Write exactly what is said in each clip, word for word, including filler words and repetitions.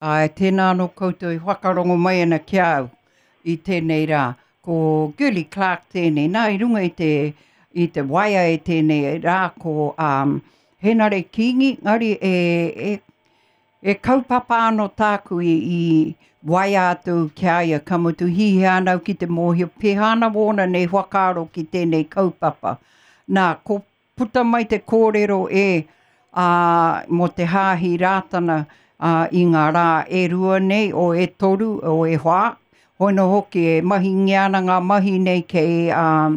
Āe, tēnā anō koutou i whakarongo mai ana ki a au i tēnei rā. Ko Girlie Clarke tēnei. Nā, i runga i te, i te waea e tēnei rā ko um, Henare Kingi, ngari e, e, e kaupapa anō tāku i, i waea atu ki a ia, ka mutu hihia ana au ki te mōhio, pēhā ana wōna nei whakaaro ki tēnei kaupapa. Nā, ko puta mai te kōrero e ā, mō te hāhi Rātana ā, i ngā rā e rua nei, o e toru, o e whā. Hoino hoki e mahingia ana ngā mahi nei kei, ā,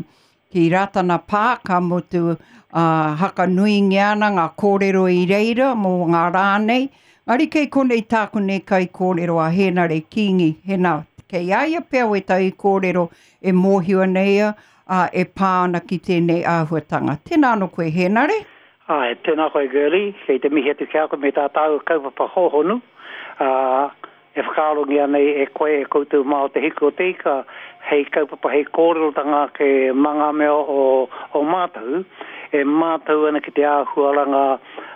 ki Rātana Pā, ka mutu ā, hakanuingia ana ngā kōrero i reira mō ngā rā nei. Ngari kei konei tāku nei kai kōrero a Hēnare Kingi, hena, kei a ia pea wētahi kōrero e mōhio ana ia, ā, e pā ana ki tēnei āhuatanga. Tēnā anō koe, Hēnare. Āe, tēnā koe Girlie, kei te mihi atu ki a koe me tā tāua kaupapa hōhonu, ā, e whakaarongia nei e koe, e koutou mā o Te Hiku o Te Ika, hei kaupapa, hei kōrerotanga ake mā ngā mea o, o mātou, e mātau ana ki te āhuaranga,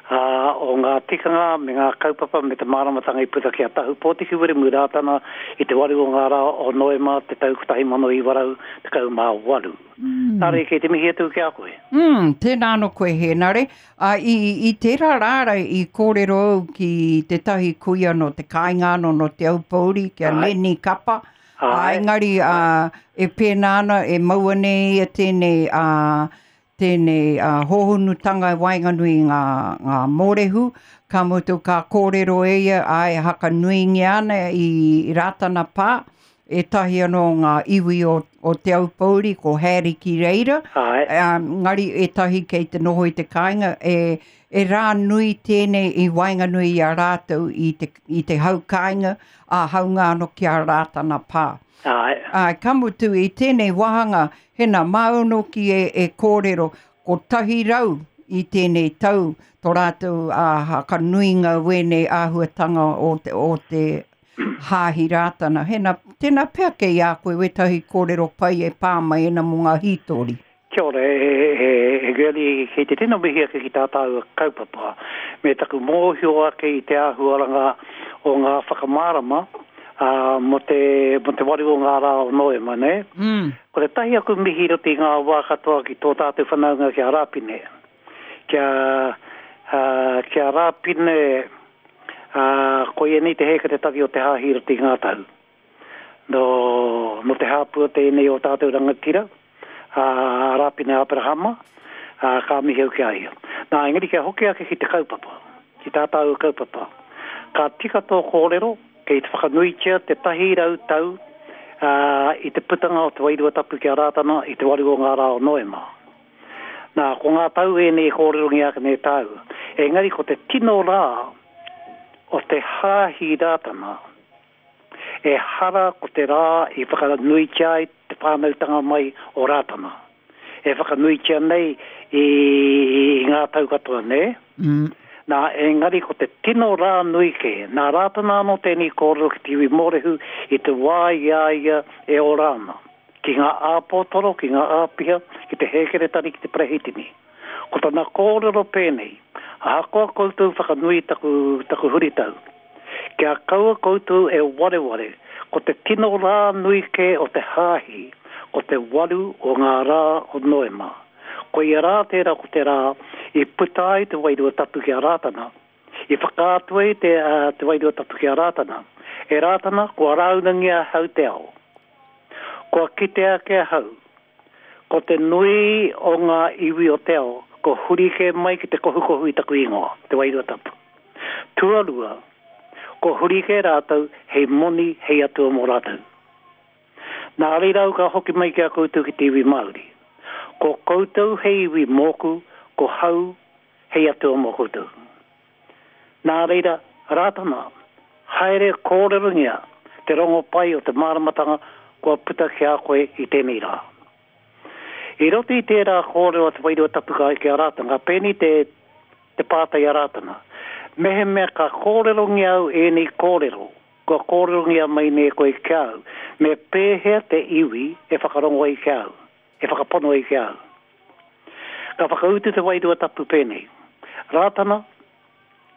ā, o ngā tikanga me ngā kaupapa me te māramatanga i puta ki a Tahu Pōtiki Wiremu Rātana i te waru o ngā rā o Noema te tau kotahi mano iwa rau tekau mā waru. Mm. Nā reira, kei te mihi atu ki a koe. Mm, tēnā anō koe, Hēnare. A, i, i tērā rāra i kōrero au ki tētahi kuia nō te kāinga anō, nō Te Aupōuri, ki a Lenny Kapa. Ai. A, engari, a, e pēnā ana, e maua nei ia tēnei, a, tēnei a, hōhonutanga i waenganui i ngā, ngā mōrehu, ka mutu ka kōrero e ia, ai, hakanuingia ana i Rātana Pā, ētahi anō ngā iwi o, o Te Aupōuri, ko Harry ki reira, Ai. Um, ngari ētahi kei te noho i te kāinga, e, e rā nui tēnei i waenganui i a rātou i te, i te hau kāinga, a haunga anō ki a Rātana Pā. Ai. Ai, ka mutu i tēnei wāhanga, hena māu ki e, e kōrero, kotahi rau i tēnei tau, tō rātou ā, hakanuinga wēnei āhuatanga o te, o te hāhi Rātana. Hena, tēnā pea kei a koe wētahi kōrero pai e pā mai ana mō ngā hītori. Kia ora, e, e, e Girlie, kei te tino mihi ake ki tā tāua kaupapa, me taku mōhio ake i te āhuaranga o ngā whakamārama ā, mō te, mō te waru o ngā rā o Noema, nē? Mm. Ko te tahi aku mihi i roto i ngā wā katoa ki tō tātou whanaunga ki a Rāpine. Kia, ā, ki a Rāpine, ā, koia nei te hēkeretari o te hāhi i roto i ngā tau. Nō, nō te hāpua tēnei o tātou rangatira, ā, Rāpine Aperahama, ā, ka mihi au ki a ia. Nā, engari kia hoki ake ki te kaupapa, ki tā tāua kaupapa. Ka tika tō kōrero, kei te whakanuitia te tahi rau tau, ā, i te putanga o te Wairua Tapu ki a Rātana i te waru o ngā rā o Noema. Nā, ko ngā tau ēnei e kōrerongia ake nei tāua. Engari ko te tino rā o te hāhi Rātana, ehara ko te rā i whakanuitia ai te whānautanga mai o Rātana. E whakanuitia nei i, i ngā tau katoa, nē? Mm. Nā, engari ko te tino rā nui kē, nā Rātana anō tēnei kōrero ki te iwi Mōrehu i te wā i a ia e ora ana, ki ngā āpōtoro, ki ngā āpiha, ki te hēkeretari, ki te perehitini. Ko tana kōrero pēnei, ahakoa koutou whakanui taku, taku huritau, kia kaua koutou e wareware, ko te tino rā nui kē o te hāhi, ko te waru o ngā rā o Noema. Koia rā tērā ko te rā i puta ai te Wairua Tapu ki a Rātana, i whakaatu ai te, uh, te Wairua Tapu ki a Rātana. E Rātana, kua rāunangia ahau te ao. Kua kite ake ahau, ko te nui o ngā iwi o te ao, ko huri kē mai ki te kohukohu i taku ingoa, te Wairua Tapu. Tuarua, ko huri kē rātou hei moni, hei atua mō rātou. Nā reira au ka hoki mai ki a koutou ki te iwi Māori. Ko koutou hei iwi mōku, ko hau hei atua mō koutou. Nā reira, Rātana, haere kōrerongia te rongopai o te māramatanga kua puta ki a koe i tēnei rā. I roto i tērā kōrero a te Wairua Tapu ka ki a Rātana, ka pēnei te, te pātai a Rātana. Mehemea ka kōrerongia au ēnei kōrero, kua kōrerongia mai nei koe ki a au, me pēhea te iwi e whakarongo ai ki a au, e whakapono ai ki a au. Ka whakautu te Wairua Tapu pēnei. Rātana,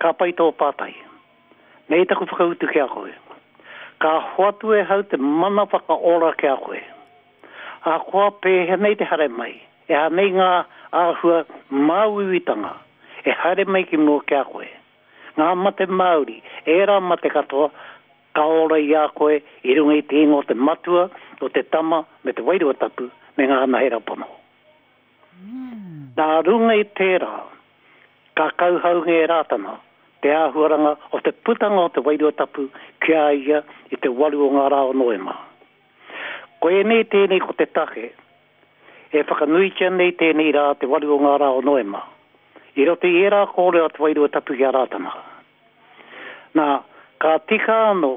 ka pai tō pātai. Nei taku whakautu ki a koe. Ka hoatu e hau te mana whakaora ki a koe. A koa pēhea nei te haere mai, e ha nei ngā āhua māuiuitanga, e haere mai ki mua ki a koe. Ngā mate Māori, ērā mate katoa, ka ora i a koe i runga i te ingoa o te Matua, o te Tama, me te Wairua Tapu, me ngā anahera pono. Mm. Nā runga i tērā, ka kauhaungia e Rātana te āhuaranga o te putanga o te Wairua Tapu ki a ia i te waru o ngā rā o Noema. Koinei tēnei ko te take e whakanuitia nei tēnei rā te waru o ngā rā o Noema. I roto i ērā kōrero a te Wairua Tapu ki a Rātana. Nā, ka tika anō,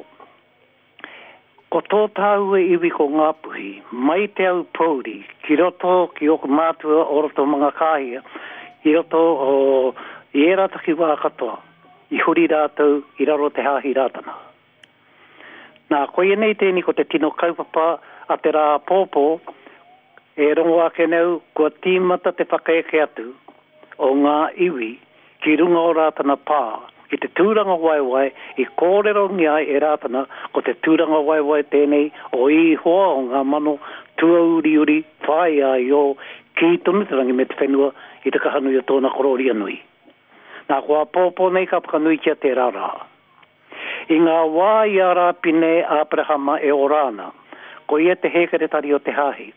ko tō tāua iwi ko Ngāpuhi, mai te Aupōuri, ki roto ki ōku mātua o roto Mangakāhia, i roto o, i ērā takiwā katoa, i huri rātou i raro te hāhi Rātana. Nā, koinei tēnei ko te tino kaupapa a te rā pōpō, e rongo ake nei kua tīmata te whakaeke atu o ngā iwi ki runga o Rātana pā, ki te tūranga waewae i kōrerongia ai e Rātana ko te tūranga waewae tēnei o Ihoa o ngā mano tuauriuri whāia i o kī tonu te rangi me te whenua i te kahanui o tōna korōria nui. Nā, ko āpōpō nei ka whakanuitia tērā rā. I ngā wā i a Rāpine Āperahama e ora ana, ko ia te hēkeretari o te hāhi,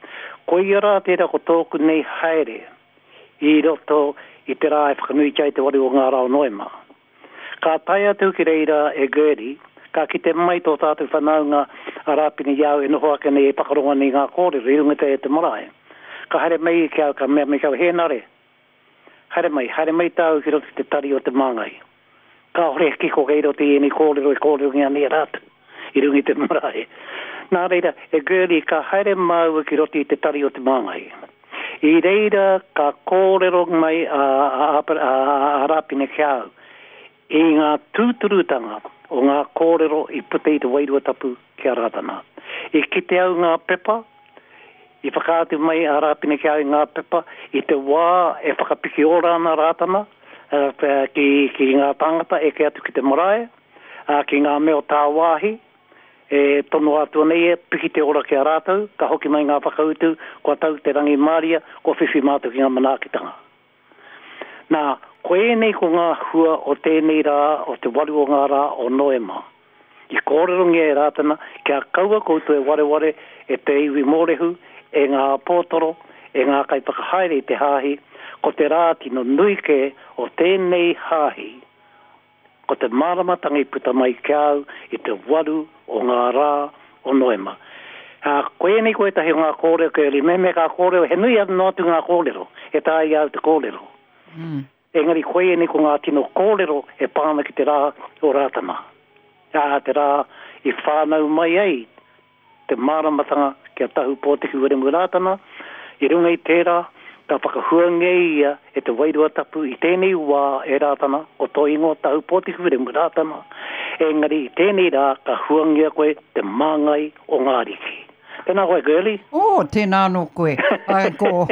ko ia rā tērā ko tōku nei haere i roto i te rā e whakanuitia ai te waru o ngā rā o Noema. Ka tae atu ki reira e Gertie, ka kite mai tō tātou whanaunga a Rāpine i au e noho ake nei e whakarongo nei ngā kōrero i runga te, te marae. Ka haere mai ki au, ka mea mai ki au, Hēnare, haere mai, haere mai tāu ki roto ki te tari o te māngai. Kāore he kiko kei roto i ēnei kōrero e kōrerongia nei e rātou i runga i te marae. Nā reira, e Gertie, ka haere māua ki roto i te tari o te māngai. I reira ka kōrero mai a, a, a, a, a Rāpine ki au i ngā tūturutanga o ngā kōrero i puta i te Wairua Tapu ki a Rātana. I kite au ngā pepa, i whakaatu mai a Rāpine ki au i ngā pepa, i te wā e whakapiki ora ana Rātana ki, ki ngā tāngata eke atu ki te marae, ki ngā mea o tāwāhi, e tono atu ana ia, piki te ora ki a rātou, ka hoki mai ngā whakautu, kua tau te rangimāria, kua whiwhi mātou ki ngā manaakitanga. Nā, ko ēnei ko ngā hua o tēnei rā, o te waru o ngā rā o Noema. I kōrerongia e Rātana, kia kaua koutou e wareware e te iwi mōrehu, e ngā pōtoro, e ngā kaiwhakahaere i te hāhi, ko te rā tino nui kē o tēnei hāhi, ko te māramatanga i puta mai ki au i te waru o ngā rā o Noema. Ā, ko ēnei ko ētahi o ngā kōrero kei ori, mehemea ka kōrero, he nui noa atu ngā kōrero, e taea i au te kōrero. Mm. Engari ko ēnei ko ngā tino kōrero e pā ana ki te rā o Rātana. Ā, te rā i whānau mai ai te māramatanga ki a Tahu Pōtiki Wiremu Rātana, i runga i tērā, ka whakahuangia ia e te Wairua Tapu i tēnei wā e Rātana, ko tō ingoa Tahu Pōtiki Wiremu Rātana, engari i tēnei rā ka huangia koe te māngai o ngā ariki. Tēnā koe, Girlie. Oh, tēnā anō koe. Ai, ko,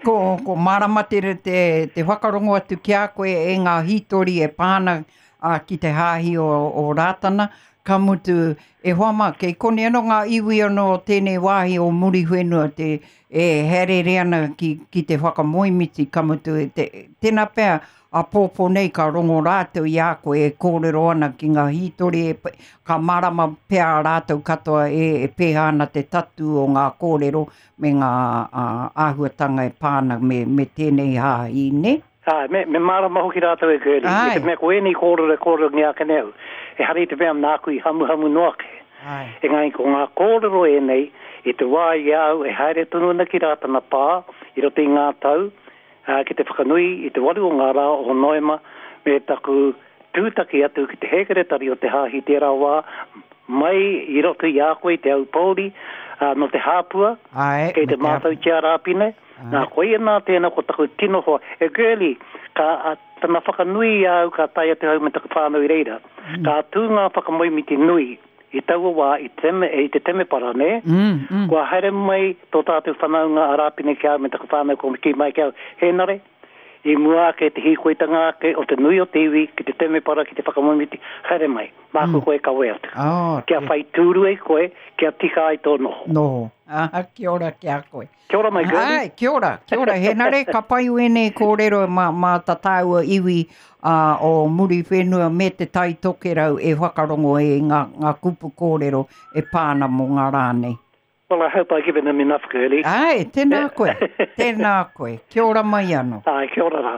ko, ko mārama te, te, te whakarongo atu ki a koe e ngā hītori e pā ana a, ki te hāhi o, o Rātana. Ka mutu, e hoa mā, kei konei anō ngā iwi anō o tēnei wāhi o Muriwhenua te, e haereere ana ki, ki te whakamoemiti, ka mutu, te, tēnā pea, āpōpō nei ka rongo rātou i a koe e kōrero ana ki ngā hītori, e, ka mārama pea rātou katoa e, e pēhea ana te tatu o ngā kōrero me ngā ā, āhuatanga e pā ana me, me tēnei hāhi, nē? Āe, me, me mārama hoki rātou e Girlie, i te mea ko ēnei kōrero e kōrerongia ake nei au, ehara i te mea nāku i hamuhamu noa ake. Āe. Engari ko ngā kōrero ēnei, i te wā i a au e haere tonu ana ki Rātana Pā, i roto i ngā tau, ā, ki te whakanui i te waru o ngā rā o Noema, me taku tūtaki atu ki te hēkeretari o te hāhi tērā wā, mai i roto i a koe i Te Aupōuri, ā, nō te Hāpua, Āe, kei me te te Hāpua. mātautia Rāpine, nā, koia nā tēnā ko taku tino hoa. E Girlie, ka, a, tana whakanui i a au ka tae atu au me taku whānau i reira. Mm. Ka tū ngā whakamoemiti nui i taua wā i teme, i te temepara, nē? Mm, mm. Kua haere mai tō tātou whanaunga a Rāpine ki a au me taku whānau ko kī mai ki au, Hēnare, I mua ake te hīkoitanga ake o te nui o te iwi ki te temepara ki te whakamoemiti, haere mai, māku mm. koe kawe atu. Oh, kia whai tūru ai koe, kia tika ai tō noho. Noho. Ah, kia ora ki a koe. Kia ora mai, Gertie. Ai, kia ora, kia ora. Henare, ka pai wēnei kōrero mā, mā tā tāua iwi uh, o Muriwhenua me te Tai Tokerau e whakarongo e ngā, ngā kupu kōrero e pāna mō ngā rā nei. Well, I hope I've given them enough, Girlie. Ai, tēnā koe, tēnā koe. Kia ora mai anō. Ai, kia ora rā.